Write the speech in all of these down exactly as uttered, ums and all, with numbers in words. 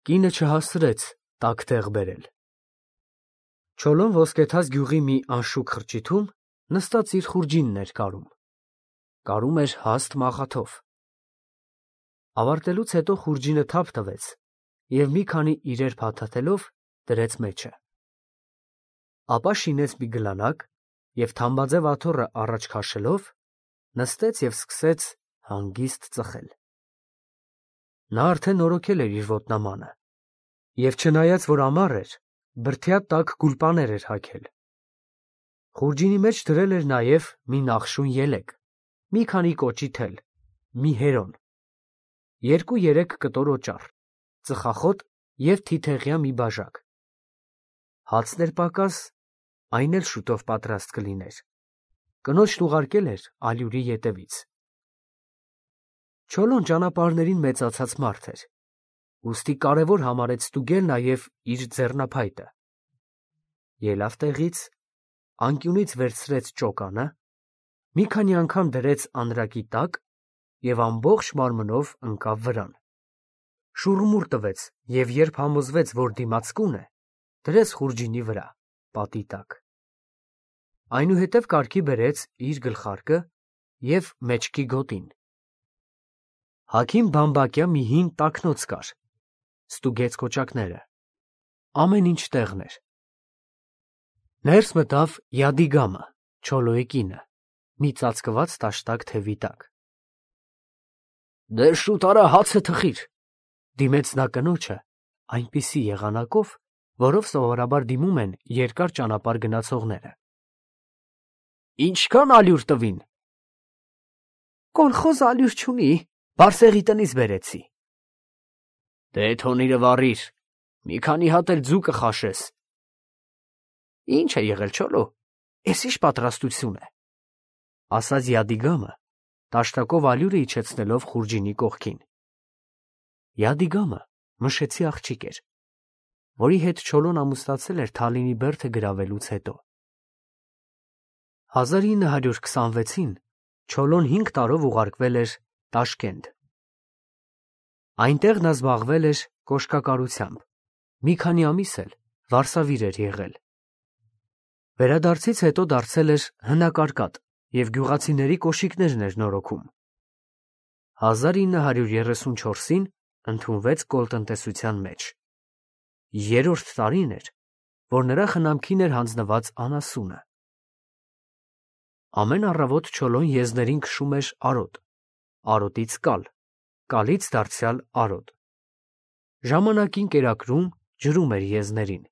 Կինը չհասցրեց տաք տեղ բերել։ Չոլոն ոսկեթաց գյուղի մի անշուք խրճիթում նստած իր խուրջինն էր կարում։ Կարում էր հաստ մաղաթով։ Ավարտելուց հետո խուրջինը թափ տվեց և մի քանի իրեր փաթաթելով դրեց մեջը։ Ապա շինեց մի գլանակ և թամբաձև աթոռը առաջ քաշելով նստեց և սկսեց հանգիստ ծխել։ Նա արդեն նորոգել էր իր ոտնամանը և չնայած, որ ամառ էր, բրդյա տաք գուլպաներ էր հագել։ Խուրջինի մեջ դրել էր նաև մի նախշուն ելեք, մի քանի կոճի թել, մի հերոն, երկու֊երեք կտոր օճառ, ծխախոտ և թիթեղյա մի բաժակ։ Հացն էր պակաս, այն էլ շուտով պատրաստ կլիներ։ Կնոջն ուղարկել էր ալյուրի ետևից։ Չոլոն ճանապարհներին մեծացած մարդ էր, ուստի կարևոր համարեց ստուգել նաև իր ձեռնափայտը։ Ելավ տեղից, անկյունից վերցրեց ճոկանը, մի քանի անգամ դրեց անրակի տակ և ամբողջ մարմնով ընկավ վրան։ Շուռմուռ տվեց և երբ համոզվեց, որ դիմացկուն է, դրեց խուրջինի վրա, պատի տակ։ Այնուհետև կարգի բերեց իր գլխարկը և մեջքի գոտին։ Հագին բամբակյա մի հին տակնոց կար, ստուգեց կոճակները, ամեն ինչ տեղն էր։ Ներս մտավ Յադիգամը, Չոլոյի կինը, մի ծածկված տաշտակ թևի տակ։ Դե շուտ արա հացը թխիր, դիմեց նա կնոջը այնպիսի եղանակով, որով սովորաբար դիմում են երկար ճանապարհ գնացողները։ Ինչքան ալյուր տվին։ Կոլխոզ ալյուր չունի, Բարսեղի տնից բերեցի։ Դե թոնիրը վառիր, մի քանի հատ էլ ձու կխաշես։ Ինչ է եղել, Չոլո, էս ինչ պատրաստություն է, ասաց Յադիգամը, տաշտակով ալյուրը իջեցնելով խուրջինի կողքին։ Յադիգամը մշեցի աղջիկ էր, որի հետ Չոլոն ամուսնացել էր Թալինի բերդը գրավելուց հետո։ հազար ինը հարյուր քսանվեցին Չոլոն հինգ տարով ուղարկվել էր Տաշկենտ։ Այնտեղ նա զբաղվել էր կոշկակարությամբ, մի քանի ամիս էլ վարսավիր էր եղել։ Վերադարձից հետո դարձել էր հնակարկատ և գյուղացիների կոշիկներն էր նորոգում։ հազար ինը հարյուր երեսունչորսին ընդունվեց կոլտնտեսության մեջ։ Երրորդ տարին էր, որ նրա խնամքին էր հանձնված անասունը։ Ամեն առավոտ Չոլոն եզներին քշում էր արոտ, արոտից կալ, կալից դարձյալ արոտ։ Ժամանակին կերակրում, ջրում էր եզներին,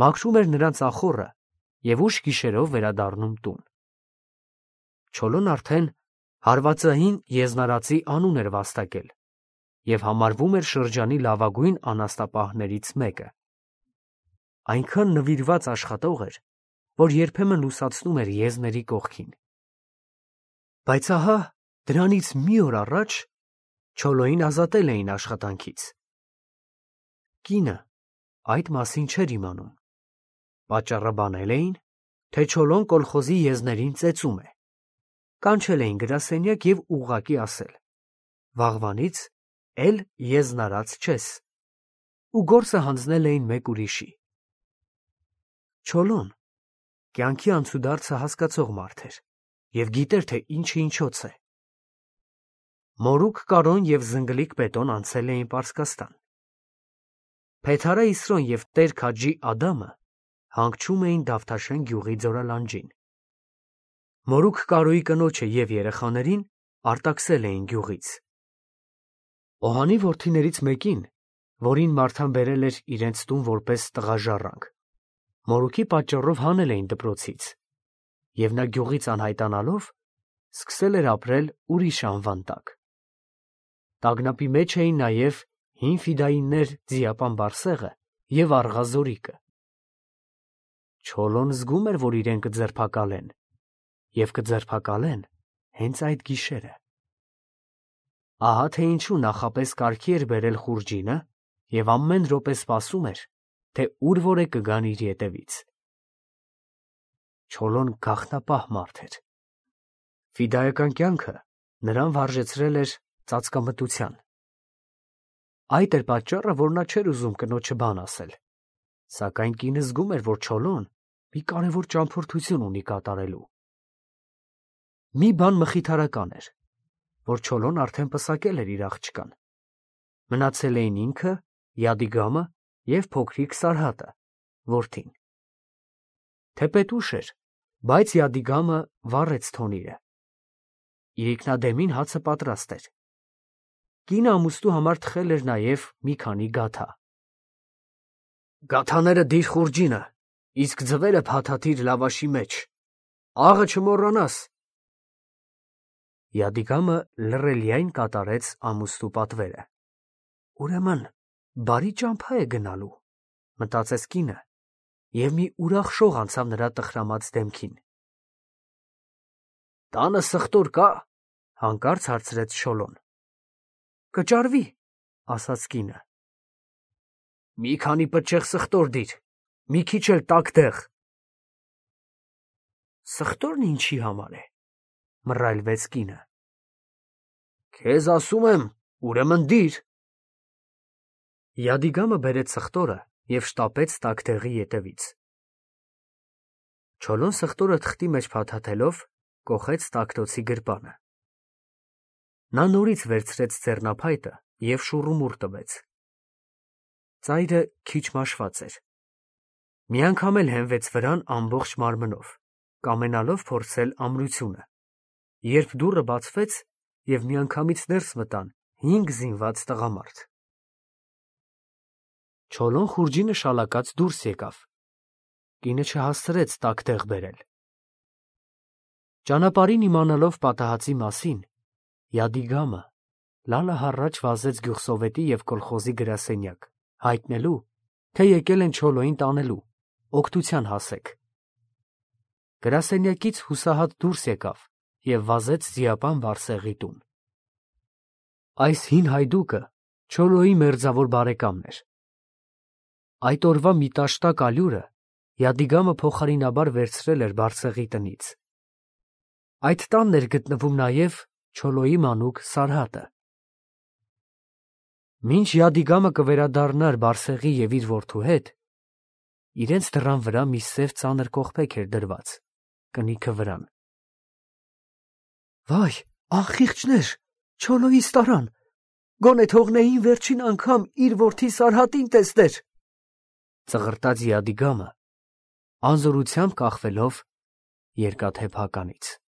մաքրում էր նրանց ախոռը և ուշ գիշերով վերադառնում տուն։ Չոլոն արդեն հարվածային եզնարածի անուն էր վաստակել և համարվում էր շրջանի լավագույն անասնապահներից մեկը։ Այնքան նվիրված աշխատող էր, որ երբեմն լուսացնում էր եզների կողքին։ Բայց ահա դրանից մի օր առաջ Չոլոյին ազատել էին աշխատանքից։ Կինը այդ մասին չէր իմանում։ Պատճառը բանել էին, թե Չոլոն կոլխոզի եզներին ծեծում է։ Կանչել էին գրասենյակ և ուղղակի ասել. վաղվանից էլ եզնարած չես, ու գործը հանձնել էին մեկ ուրիշի։ Չոլոն կյանքի անցուդարձը հասկացող մարդ էր և գիտեր, թե ինչը ինչոց է։ Մորուք Կարոն և զնգլիկ Պետոն անցել էին Պարսկաստան։ Փեթարա Իսրոն և Տեր Քաջի Ադամը հանգչում էին Դավթաշեն գյուղի ձորալանջին։ Մորուք Կարոյի կնոջը և երեխաներին արտաքսել էին գյուղից։ Օհանի որդիներից մեկին, որին Մարթան բերել էր իրենց տուն որպես տղա ժառանգ, մորուքի պատճառով հանել էին դպրոցից, և նա գյուղից անհայտանալով սկսել էր ապրել ուրիշ անվան տակ։ Տագնապի մեջ էին նաև հին ֆիդայիններ Ձիապան Բարսեղը և Աղա Զորիկը։ Չոլոն զգում էր, որ իրեն կձերբակալեն, և կձերբակալեն հենց այդ գիշերը։ Ահա թե ինչու նախապես կարգի էր բերել խուրջինը և ամեն րոպե սպասում էր, թե ուր որ է կգան իր ետևից։ Չոլոն գաղտնապահ մարդ էր։ Ֆիդայական կյանքը նրան վարժեցրել էր ծածկամտության։ Այդ էր պատճառը, որ նա չէր ուզում կնոջը բան ասել, սակայն կինը զգում էր, որ Չոլոն մի կարևոր ճամփորդություն ունի կատարելու։ Մի բան մխիթարական էր, որ Չոլոն արդեն պսակել էր իր աղջկան։ Մնացել էին ինքը, Յադիգամը և փոքրիկ Սարհատը, որդին։ Թեպետ ուշ էր, բայց Յադիգամը վառեց թոնիրը։ Իրիկնադեմին հացը պատրաստ էր։ Կինը ամուսնու համար թխել էր նաև մի քանի գաթա։ Գաթաները դիր խուրջինը, իսկ ձվերը փաթաթիր լավաշի մեջ, աղը չմոռանաս։ Յադիգամը լռելիայն կատարեց ամուսնու պատվերը։ Ուրեմն բարի ճամփա է գնալու, մտածեց կինը, և մի ուրախ շող անցավ նրա տխրամած դեմքին։ Տանը սխտոր կա, հանկարծ հարցրեց Չոլոն։ Կճարվի, ասաց կինը։ Մի քանի պտչեղ սխտոր դիր, մի քիչ էլ տաք դեղ։ Սխտորն ինչի համար է, մռայլվեց կինը։ Քեզ ասում եմ, ուրեմն դիր։ Յադիգամը բերեց սխտորը և շտապեց տաք դեղի ետևից։ Չոլոն սխտորը թղթի մեջ փաթաթելով կոխեց տակտոցի գրպանը։ Նա նորից վերցրեց ձեռնափայտը և շուռումուռ տվեց։ Ծայրը քիչ մաշված էր։ Մի անգամ էլ հենվեց վրան ամբողջ մարմնով, կամենալով փորձել ամրությունը, երբ դուռը բացվեց և միանգամից ներս մտան հինգ զինված տղամարդ։ Չոլոն խուրջինը շալակած դուրս եկավ։ Կինը չհասցրեց տակտեղ բերել։ Ճանապարհին իմանալով պատահածի մասին, Յադիգամը լալը հառաչ վազեց գյուղսովետի և կոլխոզի գրասենյակ, հայտնելու, թե եկել են Չոլոյին տանելու, օգնության հասեք։ Գրասենյակից հուսահատ դուրս եկավ և վազեց ձիապան Բարսեղի տուն։ Այս հին հայդուկը Չոլոյի մերձավոր բարեկամն էր։ Այդ օրվա մի տաշտակ ալյուրը Յադիգամը փոխարինաբար վերցրել էր Բարսեղի տնից։ Այդ տանն էր գտնվում նաև Չոլոյի մանուկ Սարհատը։ Մինչ Յադիգամը կվերադառնար Բարսեղի և իր որդու հետ, իրենց դռան վրա մի սև ծանր կողպեք էր դրված, կնիքը վրան։ Վայ, անխիղճներ, Չոլոյիս տարան, գոնե թողնեին վերջին անգամ իր որդի Սարհատին տեսներ, ծղրտաց Յադիգամը, անզորությամբ կախվելով երկաթե փականից։